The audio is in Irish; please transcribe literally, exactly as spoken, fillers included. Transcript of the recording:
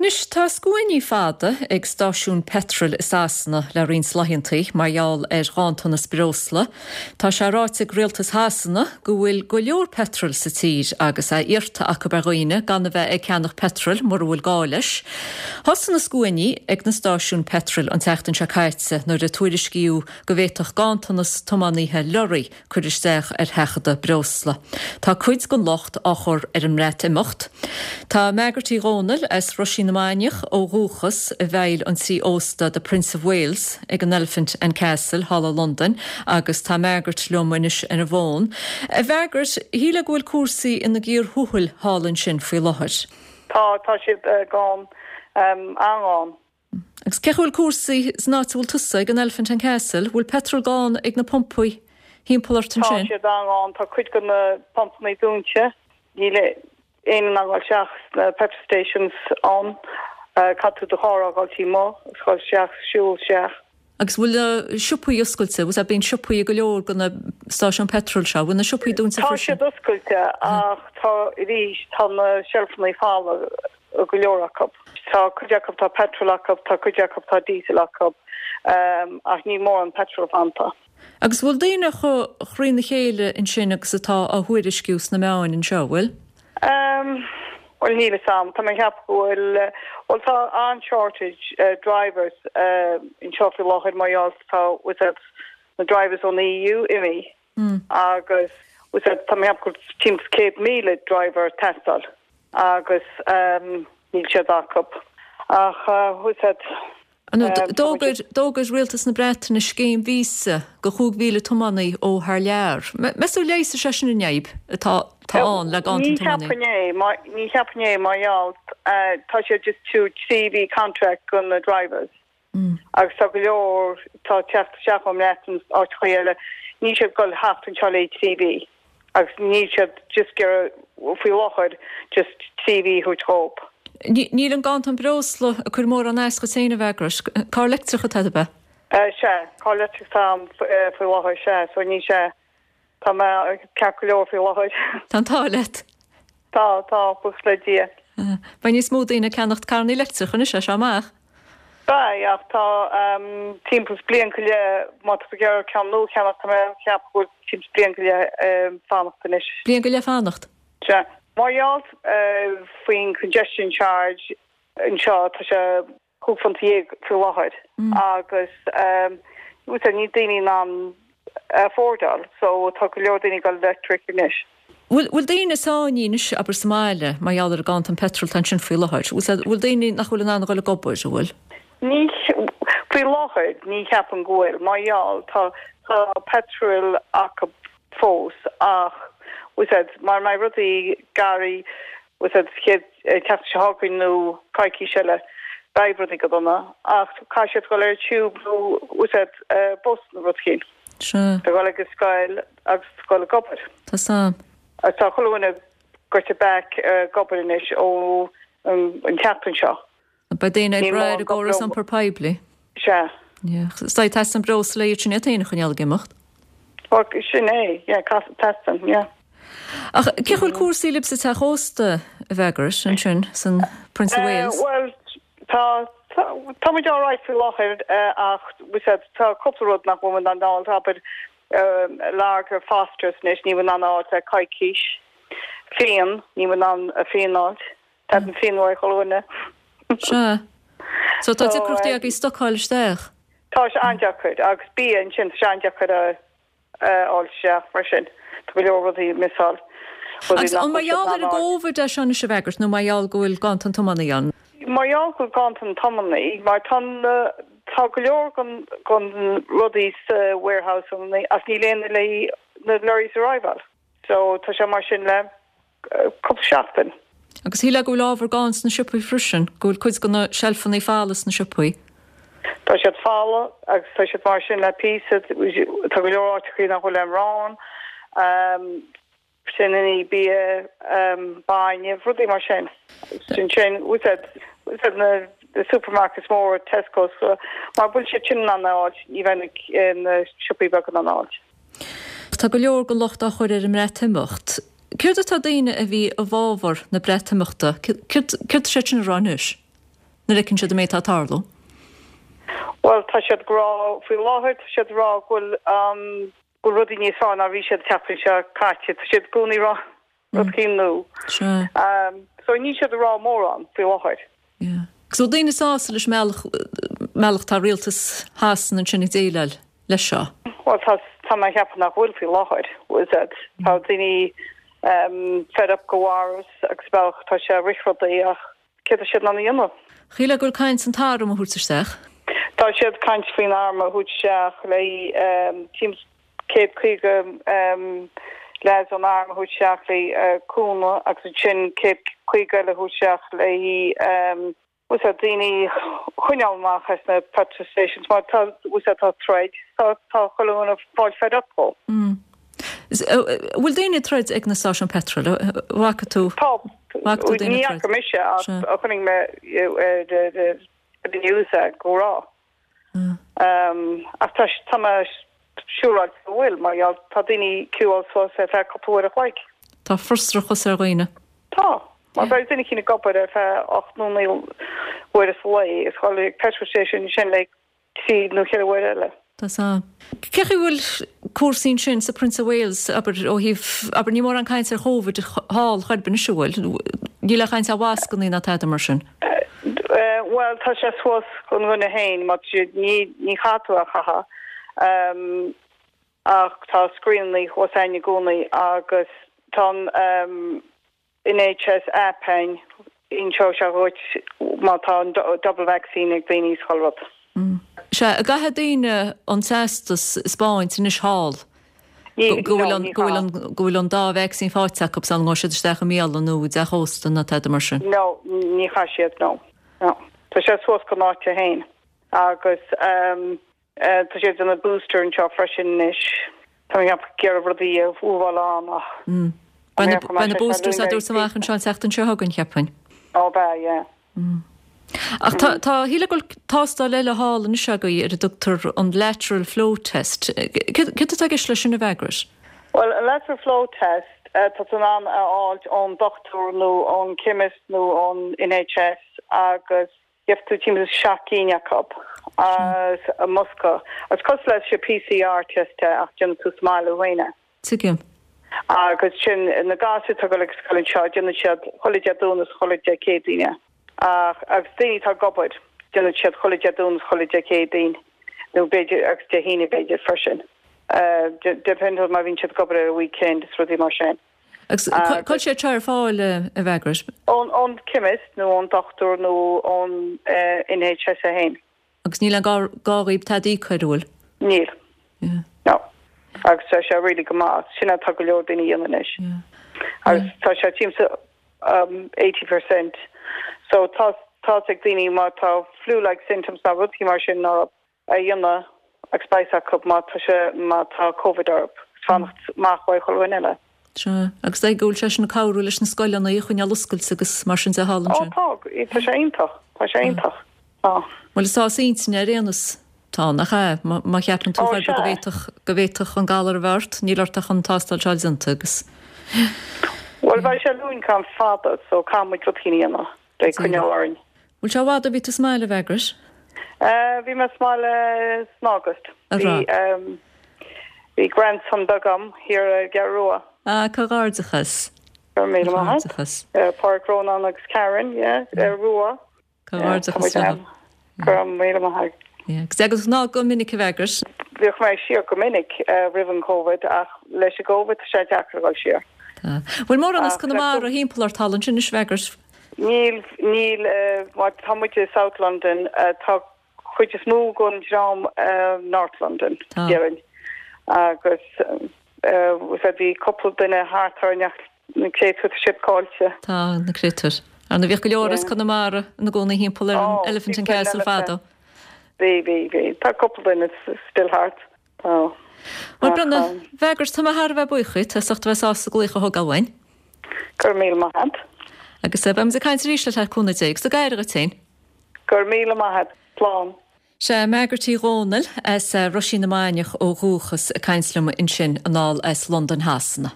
Anois tá scuainí fada ag stáisiúin peitril i Sasana le roinnt laethanta mar gheall ar ghanntanas breosla. Tá sé ráite ag rialtas Shasana go bhfuil go leor petrol sa tír agus é iarrta acu ar dhaoine gan a bheith ag ceannach petrol mura bhfuil gá leis. Thosaigh na scuainí ag na stáisiúin petrol an tseachtain seo caite nuair a tuairiscíodh go bhféadfadh ganntanas tiománaithe leoraí cur isteach ar sheachadadh breosla. Tá cuid den locht á chur ar an mBreatimeacht. Tá Margaret Uí Dhónaill as Roisín na Mainiach ó dhúchas i bhfeighil an tí ósta the Prince of Wales ag an Elephant and Castle thall i Londain agus tá Margaret liom anois ar an bhfón. A Mhargaret, shílfeá go bhfuil cúrsaí ina gcíor thuathail thall ansin faoi láthair. Tá tá siad uh, gann um, an-ghann. Agus cén chaoi bhfuil cúrsaí san áit a bhfuil tusa ag an Elephant and Castle, bhfuil petrol gann ag na pumpaí thimpeall ort Tá ansin? siad an-ghann tá cuid de na pumpanna dúnta níl aon an isteach na petrol stations ann uh, caithfidh tú do charr a fhágáil amuigh agus isteach siúl isteach. Agus bhfuil na siopaí oscailte, was bíonn siopaí go leor de na stáisiúin petrol seo, bhfuil na siopaí dúnta Tá freisin? siad oscailte ach tá arís tá na seilfeanna folamh go leor acu. Tá cuid acu tá petrol acu, tá cuid acu tá diesel acu um, ach ní mór an petrol fanta. Agus bhfuil daoine chomh thrína chéile ansin agus atá á thuairisciú sna meáin anseo, bhfuil? Um, well níl sam tá mé cheap bhfuil well tá an shortage uh, drivers uh, anseo faoi láthair mar gheall tá with na drivers ón EU imithe Mm. agus with tá mé cheap timpeall céad míle driver teastáil agus um, níl siad acu ach uh, with D'fhógair d'fhógair rialtas na Breataine scéim víosa do chúig mhíle tiománaí ó thar lear. Meas tú leigheasfaidh sé sin an fhadhb atá tá ann le ganntan Ní tiománaí. cheapfainn é ní cheapfainn é mar gheall tá sé just tú trí mhí contract do na drivers. Mm. agus tá go leor tá teacht isteach ón mBreatain áiteacha eile ní siad gol haft an le trí mhí agus ní siad just gur faoi láthair just trí mhí thu dóibh. Níl an ganntan breosla ag cur mórán as duit féin a Mhargaret, Carr leictreach atá agat? Se carr leictreach tá faoi láthair se so ní sé Tá mé ceart go leor faoi láthair. Tá tá let. Tá tá buíochas le Dia. Beidh níos mó daoine ag ceannacht carranna leictreacha anois sé amach. Ba ach tá um, timpeall bliain go leith má tá tú ceann nua a cheannach tá mé cheap go timpeall bliain go leith um, fanacht anois. Bliain go leith fanacht. Se. Mar gheall uh, faoin congestion charge anseo tá sé cúig phunt déag faoi láthair Mm. agus um, ní daoine in ann affordáil, so tá go leor daoine go electric anois. Bhfuil bhfuil daoine sáinnithe abair sa mbaile mar gheall ar ganntan petrol tá sin faoi láthair. Bhfuil daoine nach bhfuil in ann dul ag obair bhfuil? Ní faoi láthair ní cheapaim go bhfuil mar gheall tá tá petrol acu fós ach mar mai rudaí garí teach se nó coicís eile beidh rudaí go dona ach caithfidh siad dul ar tube nó úsáid bus nó rud éigin. Se Tá dul ag scoil agus dul ag obair. Tá sam. Agus tá chuile dhuine back ag obair anois ó an tseachtain seo. Ba daoine ag Ní brath mór i gcóras go- iompar poiblí. Se. Sta teastaíonn breosla sin é chun ag imeacht. sin é teastaíonn, yeah. Ach cén chaoi bhfuil cúrsaí libh sa teach ósta a Mhargaret ansin san Prince of Uh, Wales. well tá tá muid alright faoi láthair ach tá cúpla rud nach bhfuil in ann abair lager Fosters anois ní in ann le coicís. Fíon ní in ann a fíon a fháil Tá an fíon uaidh chuile dhuine. Se. So tá So, deacrachtaí eh, agaibh stocáil isteach. Tá sé an-deacair agus bia ansin sé an-deacair a fháil isteach mar sin Tá go leor rudaí missáil. Agus an mar gheall ar an gCovid é seo a Mhargaret nó mar gheall go bhfuil ganntan tiománaí ann. Mar gheall go ganntan tiománaí, mar tá tá go leor den den rudaí sa warehouse as ní léon le na lorries arrival. So tá sé mar sin le cúpla seachtain. Agus shílfeá go bhfuil ábhar gann sna siopaí freisin, go bhfuil cuid de na seilfeanna folamh sna siopaí. Tá siad folamh agus tá siad mar sin le pí tá go leor áiteacha nach bhfuil arán, um, sin ní bia um, bainne rudaí mar sin. Sin sin úsáid na the supermarkets mór Tesco so mar bhfuil siad sin an áit ní bheidh na siopaí beaga an áit. Tá go leor den locht á chur ar an mBreatimeacht. Céard atá daoine a bhí i bhfabhar na Breatimeachta, céard sé sin a rá anois? nuair a fheiceann siad an méid atá ag tarlú. Bhuel, tá siad ag rá, faoi láthair tá siad ag rá go bhfuil go bhfuil rudaí níos fearr ná bhí siad an tseachtain seo caite. Tá siad i gcónaí ag rá rud éicint nua. Sea. So níl siad ag rá mórán faoi láthair. Yeah. Agus an bhfuil daoine sásta leis an mbealach, mbealach tá rialtas Shasana ansin ag déileáil leis seo? Bhuel, tá, tá mé ag ceapadh nach bhfuil faoi láthair, is it? Tá daoine um, fed up go bharras agus bealach tá sé ag rith rudaí ach céard atá siad in ann a dhéanamh? Shílfeá go bhfuil caint an t-arm a thabhairt isteach. Tá siad ag caint faoin arm a thabhairt isteach le um, timpeall céad caoga um, leaids ón arm a thabhairt isteach le uh, cúnamh agus ansin céad caoga eile a thabhairt isteach le um, bhfuil a fhios agat daoine a choinneáil amach as na petrol stations mar tá bhfuil a fhios agat tá troid tá tá chuile dhuine ag fáil fed up dhó. Mm. Bhfuil daoine ag troid ag na stáisiúin petrol? Bhfaca tú? Tá Bhfaca tú daoine ní ag troid? fhaca mise ach Sea. a chonaic mé the news go raibh. Mm. Um, ach tá tá mé siúráilte go bhfuil mar gheall tá daoine queueáil suas ar feadh cúpla uair a chloig. Tá frustrachas ar dhaoine. Tá. Mar beidh duine éicint ag obair ar feadh ocht nó naoi uair sa lá is dul ag petrol station sin le trí nó ceithre uair eile. Tá sa. Cén chaoi bhfuil cúrsaí ansin sa Prince of Wales abair ó thaobh abair ní mórán caint ar Covid thall chor ar bith anois an bhfuil. Níl aon chaint ar mhascanna ná tada mar sin. Uh, well tá sé suas don dhuine féin má ní ní chaithfidh tú a chaitheamh. Um, ach tá screening thuas ann i gcónaí agus tá um, NHS app ann inseoidh sé dhuit má tá an double vaccine ag daoine is chuile rud. Mm. Sea, an gcaithfidh daoine an teastas a 'speáint anois thall go bhfuil an go bhfuil an go bhfuil an dá vacsaín faighte acu sula ngabhfaidh siad isteach i mbialann nó i dteach ósta nó tada mar sin. No, ní chaithfidh siad no. No. Tá sé suas don áit féin agus um, uh, tá siad ag déanamh booster anseo freisin anois. Tá mé ag iarraidh rudaí a bhuail an ach. Mm. Beidh na boosters á dtabhairt amach anseo an tseachtain seo chugainn cheapfainn. Ó beidh, yeah. Mm. Ach tá tá shílfeá go bhfuil tástáil eile thall anois agaibh ar a dtugtar an lateral flow test. Céard atá i gceist leis sin a Mhargaret? Well, a lateral flow test uh, tá tú in ann a fháilt ón dochtúir nó ón chemist nó ón NHS agus gheobhaidh tú timpeall seacht gcinn acu as a mbosca. Agus cosúil leis an PCR test ach déanann tú sa mbaile féin é. Tuigim. Agus sin na gasúir atá ag dul ag scoil anseo déanann siad chuile Dé Domhnaigh is chuile Dé Céadaoine. Ach agus daoine atá ag obair déanann siad chuile Dé Domhnaigh is chuile Dé Céadaoin nó b'fhéidir agus Dé hAoine b'fhéidir freisin. Uh, depend má bhíonn siad ag obair ar a weekend is rudaí mar sin. Agus cá bhfuil sé ar fáil a Mhargaret? Ón ón chemist nó ón dochtúir nó ón uh, NHS féin. Agus níl an gá dhaoib tada a íoc an bhfuil? Níl. Yeah. No. Agus tá sé really go maith sin atá go leor daoine a dhéanamh anois. Yeah. Agus tá sé timpeall um, eighty percent. So tá tá ag daoine má tá flu-like symptoms ná rudaí mar sin ná a dhéanamh agus beidh acu má tá sé má tá COVID orthu. Fanacht amach ó chuile dhuine eile. Sea, agus é go bhfuil sé sin ag cabhrú leis na scoileanna a choinneáil oscailte agus mar sin de thall Ó ansin. tá, tá sé iontach, tá sé iontach. Tá. Bhuel is sás intinne ar aon nós tá nach ea, má má cheapann tú Ó, go sea. bhféadfadh go bhféadfadh an galar a bheith ort, níl ort ach an tástáil seo déanta agus Bhuel beidh sé lúin gan fada, so caithfidh muid rud éicint a dhéanamh le coinneáil orainn. Bhfuil sé i bhfad ó bhí tú sa mbaile a Mhargaret? Uh, bhí mé sa mbaile san August. A Bhí rá. um, bhí grandson beag agam thiar i gCeathrú Rua. Ah, comhghairdeachas. Go raibh míle maith agat. Comhghairdeachas. Uh, Pádraig Rónán agus Karen, yeah, uh, Rua. Comhghairdeachas Yeah, leo. Go raibh míle maith agat. Yeah. Agus agus ná go minic a Mhargaret. Bhíodh mé siar go minic uh, roimh an COVID ach leis an COVID tá sé deacair dul siar. Tá. Bhfuil mórán as Ach, Conamara thimpeall ort thall ansin anois a Mhargaret? Níl níl uh, má tá muid i South London uh, tá chuid is mó den dream uh, North London Tá. déarfainn. Agus uh, bhí cúpla duine thart ar na créatúir siad caillte. Tá na créatúir. Ar na bhíodh go leor as Yeah. Conamara ina gcónaí thimpeall ar an Oh, Elephant and bhí Castle Elephant. fadó. Bhí bhí bhí tá cúpla duine still thart. Tá. Bhuel Ach, Brenda, um, Mhargaret tá mé thar a bheith buíoch díot as ucht a bheith sásta glaoch a thógáil uainn. Go raibh míle maith agat. Agus beimid ag caint arís le cúnamh Dé, agus go n-éirí leat féin. Go raibh míle maith agat. Slán. Sé Margaret Uí Dhónaill as Roisín na Mainiach ó dhúchas ag caint liom ansin anall as Londain Shasana.